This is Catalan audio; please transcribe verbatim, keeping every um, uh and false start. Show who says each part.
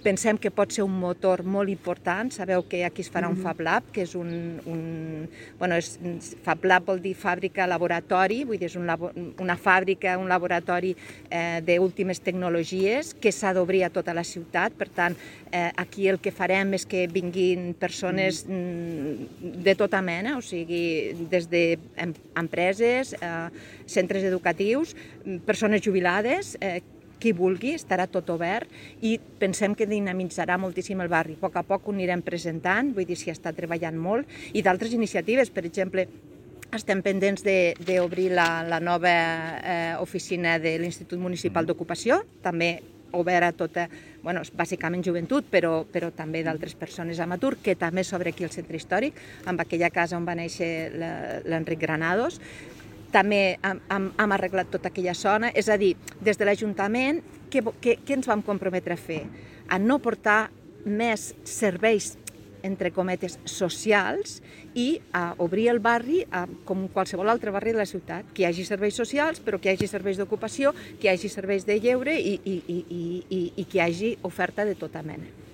Speaker 1: Pensem que pot ser un motor molt important. Sabeu que aquí es farà un Fab Lab, que és un... un bueno, és, Fab Lab vol dir fàbrica laboratori, vull dir, és un labo, una fàbrica, un laboratori eh, d'últimes tecnologies que s'ha d'obrir a tota la ciutat. Per tant, eh, aquí el que farem és que vinguin persones mm, de tota mena, o sigui, des d'empreses, eh, centres educatius, persones jubilades, eh, qui vulgui, estarà tot obert i pensem que dinamitzarà moltíssim el barri. A poc a poc ho anirem presentant, vull dir, s'hi està treballant molt, i d'altres iniciatives, per exemple, estem pendents d'obrir la, la nova eh, oficina de l'Institut Municipal d'Ocupació, també obert a tota, bueno, bàsicament joventut, però, però també d'altres persones amb atur, que també s'obre aquí al centre històric, amb aquella casa on va néixer l'Enric Granados. També hem, hem, hem arreglat tota aquella zona, és a dir, des de l'Ajuntament, què, què, què ens vam comprometre a fer? A no portar més serveis, entre cometes, socials i a obrir el barri a, com qualsevol altre barri de la ciutat, que hi hagi serveis socials, però que hi hagi serveis d'ocupació, que hi hagi serveis de lleure i, i, i, i, i que hi hagi oferta de tota mena.